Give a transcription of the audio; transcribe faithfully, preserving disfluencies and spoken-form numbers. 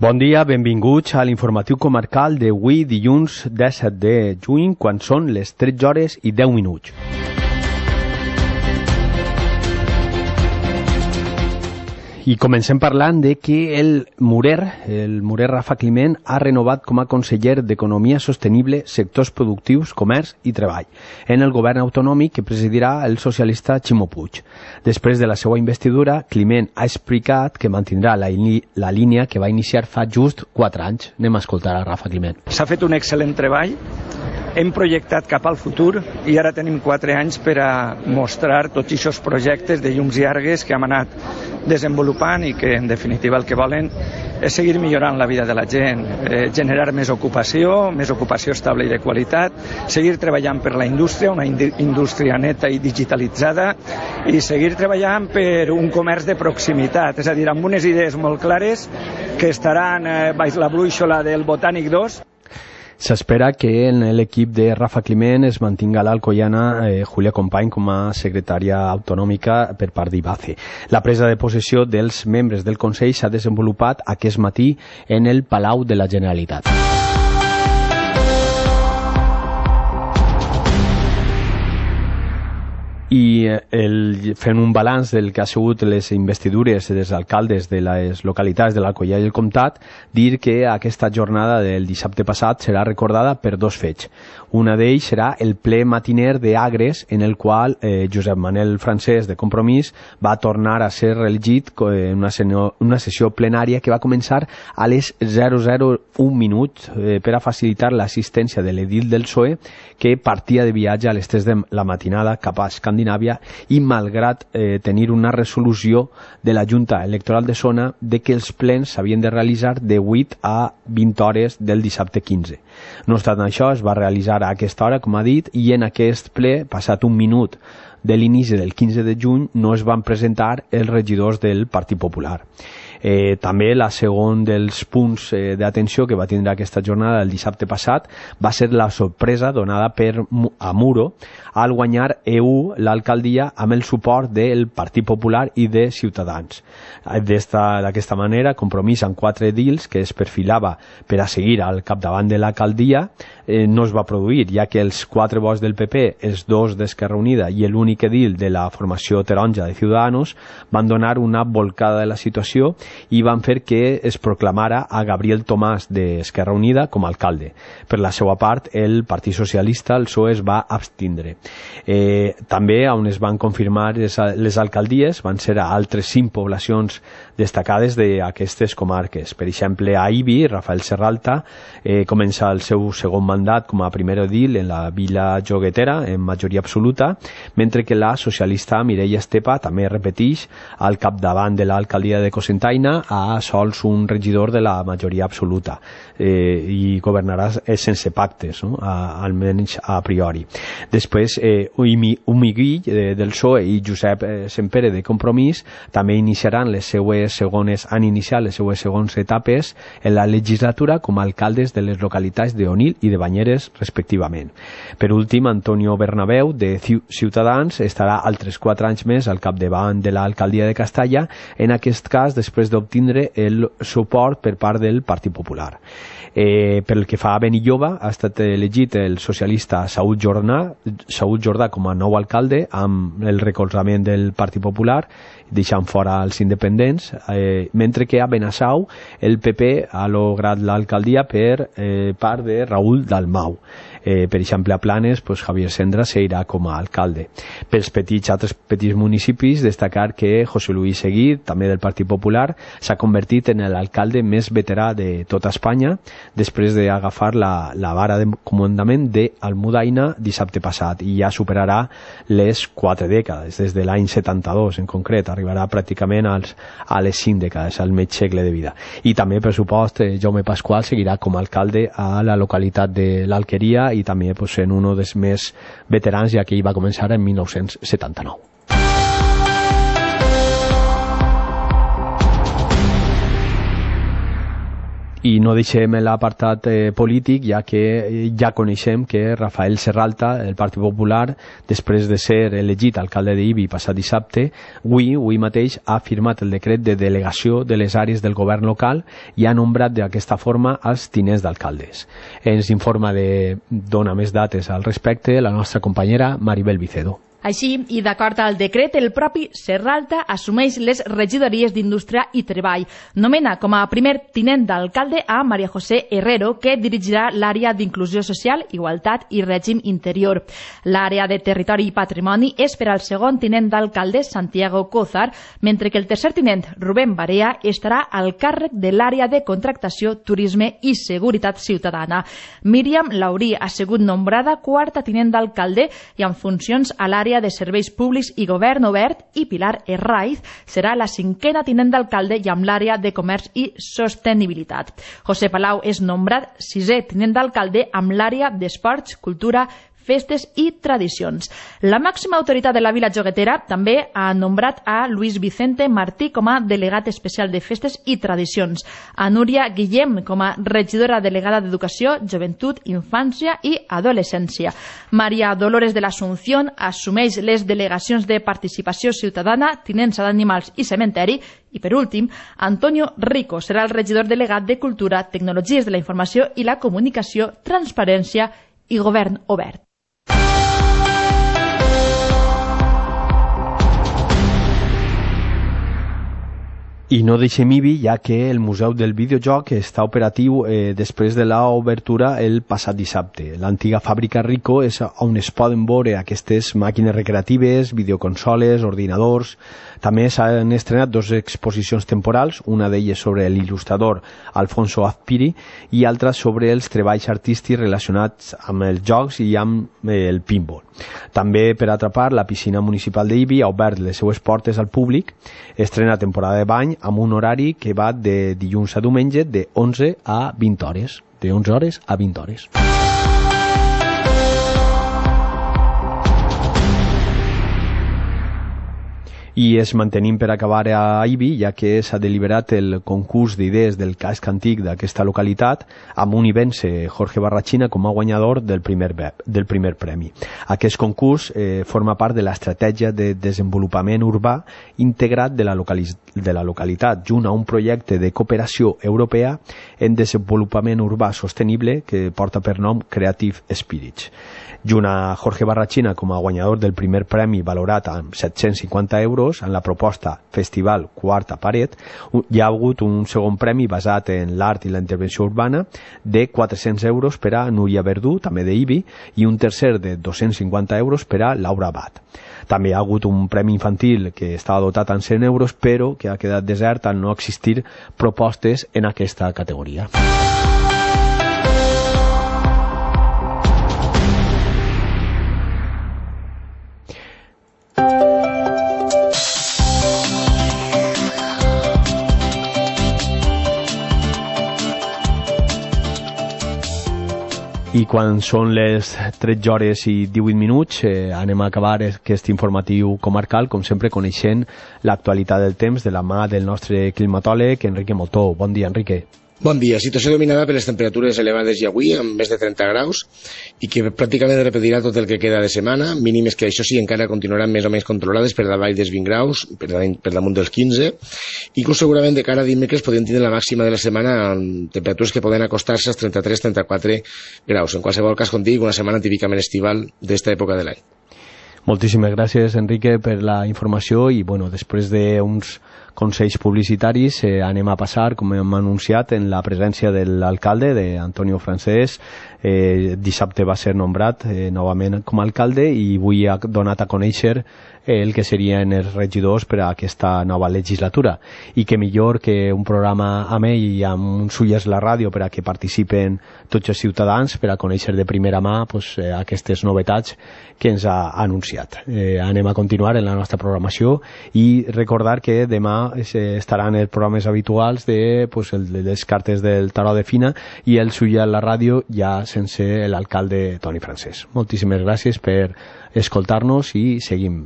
Bon dia, benvinguts a l'informatiu comarcal d'avui dilluns disset de juny, quan són les tretze hores i deu minuts. I comencem parlant de que el Murer, el Murer Rafa Climent, ha renovat com a conseller d'Economia Sostenible, Sectors Productius, Comerç i Treball en el govern autonòmic que presidirà el socialista Ximo Puig. Després de la seva investidura, Climent ha explicat que mantindrà la, la línia que va iniciar fa just quatre anys. Anem a escoltar a Rafa Climent. S'ha fet un excel·lent treball, hem projectat cap al futur i ara tenim quatre anys per a mostrar tots aquests projectes de llums i argues que hem anat desenvolupant i que en definitiva el que volen és seguir millorant la vida de la gent, eh, generar més ocupació, més ocupació estable i de qualitat, seguir treballant per la indústria, una indústria neta i digitalitzada, i seguir treballant per un comerç de proximitat, és a dir, amb unes idees molt clares que estaran eh, baix la brúixola del Botànic dos. S'espera que en l'equip de Rafa Climent es mantinga l'alcoiana eh, Julia Company com a secretària autonòmica per part d'Ibace. La presa de possessió dels membres del Consell s'ha desenvolupat aquest matí en el Palau de la Generalitat. I el, fent un balanç del que ha sigut les investidures dels alcaldes de les localitats de l'Alcoià i el Comtat, dir que aquesta jornada del dissabte passat serà recordada per dos fets. Una d'ells serà el ple matiner d'Agres, en el qual eh, Josep Manel Francesc de Compromís va tornar a ser reelegit en una, una sessió plenària que va començar a les zero zero un minuts eh, per a facilitar l'assistència de l'edil del P S O E, que partia de viatge a les tres de la matinada cap a Escandinàvia i malgrat eh, tenir una resolució de la Junta Electoral de Zona de que els plens s'havien de realitzar de vuit a vint hores del dissabte quinze. No obstant això, es va realitzar a aquesta hora, com ha dit, i en aquest ple, passat un minut de l'inici del quinze de juny, no es van presentar els regidors del Partit Popular. Eh, també la segon dels punts eh, d'atenció que va tindre aquesta jornada el dissabte passat va ser la sorpresa donada per a Muro al guanyar E U l'alcaldia amb el suport del Partit Popular i de Ciutadans. D'aquesta manera, Compromís amb quatre edils que es perfilava per a seguir al capdavant de l'alcaldia eh, no es va produir, ja que els quatre vots del P P, els dos d'Esquerra Unida i l'únic edil de la formació taronja de Ciudadanos van donar una volcada de la situació i van fer que es proclamara a Gabriel Tomàs d'Esquerra Unida com a alcalde. Per la seva part, el Partit Socialista, el P S O E, es va abstindre. Eh, també on es van confirmar les, les alcaldies van ser a altres cinc poblacions destacades d'aquestes comarques. Per exemple, a Ibi, Rafael Serralta eh, comença el seu segon mandat com a primer edil en la Vila Joguetera en majoria absoluta, mentre que la socialista Mireia Estepa també repeteix al capdavant de l'alcaldia de Cocentaina a sols un regidor de la majoria absoluta eh, i governarà sense pactes, no? a, almenys a priori. Després, eh, Humiguill eh, del P S O E i Josep eh, Sempere de Compromís també iniciaran les seues segones, han iniciat les seues segones etapes en la legislatura com a alcaldes de les localitats d'Onil i de Banyeres, respectivament. Per últim, Antonio Bernabeu, de Ciutadans, estarà altres quatre anys més al capdavant de l'alcaldia de Castalla, en aquest cas després d'obtindre el suport per part del Partit Popular. Eh, pel que fa a Benilloba, ha estat elegit el socialista Saúl Jordà, Saúl Jordà com a nou alcalde amb el recolzament del Partit Popular, deixant fora els independents, eh, mentre que a Benassau el P P ha lograt l'alcaldia per eh, part de Raúl Dalmau. Eh, per exemple, a Planes, pues, Javier Sendra seguirà com a alcalde. Pels petits, altres petits municipis, destacar que José Luis Seguí, també del Partit Popular, s'ha convertit en l'alcalde més veterà de tota Espanya, després d'agafar la, la vara de comandament d'Almudaina dissabte passat, i ja superarà les quatre dècades, des de l'any setanta-dos en concret, arribarà pràcticament als, a les cinc dècades, al mig segle de vida. I també, per supost, Jaume Pasqual seguirà com a alcalde a la localitat de l'Alqueria i també pues, en un dels més veterans, ja que ell va començar en mil nou-cents setanta-nou. I no deixem l'apartat eh, polític, ja que ja coneixem que Rafael Serralta, del Partit Popular, després de ser elegit alcalde d'Ibi passat dissabte, avui, avui mateix ha firmat el decret de delegació de les àrees del govern local i ha nombrat d'aquesta forma els tinents d'alcaldes. Ens informa de dona més dates al respecte la nostra companyera Maribel Vicedo. Així, i d'acord al decret, el propi Serralta assumeix les regidories d'Indústria i Treball. Nomena com a primer tinent d'alcalde a María José Herrero, que dirigirà l'àrea d'Inclusió Social, Igualtat i Règim Interior. L'àrea de Territori i Patrimoni és per al segon tinent d'alcalde, Santiago Cózar, mentre que el tercer tinent, Rubén Barea, estarà al càrrec de l'àrea de Contractació, Turisme i Seguretat Ciutadana. Míriam Laurí ha sigut nombrada quarta tinent d'alcalde i en funcions a l'àrea de Serveis Públics i Govern Obert, i Pilar Herraiz serà la cinquena tinent d'alcalde i amb l'àrea de Comerç i Sostenibilitat. José Palau és nombrat sisè tinent d'alcalde amb l'àrea d'Esports, Cultura, Festes i Tradicions. La màxima autoritat de la Vila Joguetera també ha nombrat a Luis Vicente Martí com a delegat especial de Festes i Tradicions, a Núria Guillem com a regidora delegada d'Educació, Joventut, Infància i Adolescència. Maria Dolores de l'Asunción assumeix les delegacions de Participació Ciutadana, Tinença d'Animals i Cementeri, i per últim, Antonio Rico serà el regidor delegat de Cultura, Tecnologies de la Informació i la Comunicació, Transparència i Govern Obert. I no deixem Ibi, ja que el Museu del Videojoc està operatiu eh, després de l'obertura el passat dissabte. L'antiga fàbrica Rico és on es poden veure aquestes màquines recreatives, videoconsoles, ordinadors. També s'han estrenat dues exposicions temporals, una d'elles sobre l'il·lustrador Alfonso Azpiri i altra sobre els treballs artístics relacionats amb els jocs i amb eh, el pinball. També, per altra part, la piscina municipal d'Ibi ha obert les seues portes al públic, estrena temporada de bany amb un horari que va de dilluns a diumenge de onze a vint hores. De onze hores a vint hores. I es mantenim per acabar a Ibi, ja que s'ha deliberat el concurs d'idees del casc antic d'aquesta localitat, amb un i vence Jorge Barrachina com a guanyador del primer, del primer premi. Aquest concurs eh, forma part de l'estratègia de desenvolupament urbà integrat de la, de la localitat, junt a un projecte de cooperació europea en desenvolupament urbà sostenible que porta per nom Creative Spirits. Junt a Jorge Barrachina com a guanyador del primer premi valorat amb set-cents cinquanta euros en la proposta Festival Quarta Paret, hi ha hagut un segon premi basat en l'art i la intervenció urbana de quatre-cents euros per a Núria Verdú, també d'Ibi, i un tercer de dos-cents cinquanta euros per a Laura Abad. També hi ha hagut un premi infantil que estava dotat en cent euros, però que ha quedat desert al no existir propostes en aquesta categoria. I quan són les tretze hores i divuit minuts eh, anem a acabar aquest informatiu comarcal, com sempre coneixent l'actualitat del temps de la mà del nostre climatòleg Enrique Motó. Bon dia, Enrique. Bon dia. Situació dominada per les temperatures elevades i avui, amb més de trenta graus, i que pràcticament repetirà tot el que queda de setmana, mínimes que això sí encara continuaran més o menys controlades per davall dels vint graus, per, per damunt dels quinze. Inclús segurament de cara a dimecres podem tindre la màxima de la setmana amb temperatures que poden acostar-se als trenta-tres a trenta-quatre graus. En qualsevol cas, com dic, una setmana típicament estival d'esta època de l'any. Moltíssimes gràcies, Enrique, per la informació i, bueno, després d'uns consells publicitaris eh, anem a passar, com hem anunciat, en la presència de l'alcalde, d'Antonio Francés. Eh, dissabte va ser nombrat eh, novament com a alcalde i avui ha donat a conèixer eh, el que serien els regidors per a aquesta nova legislatura. I que millor que un programa amb ell i amb uns ulls la ràdio per a que participen tots els ciutadans per a conèixer de primera mà pues, eh, aquestes novetats que ens ha anunciat. Eh, anem a continuar en la nostra programació i recordar que demà estaran els programes habituals de pues, el, les cartes del tarot de Fina i el Suya a la ràdio ja sense l'alcalde Toni Francés. Moltíssimes gràcies per escoltar-nos i seguim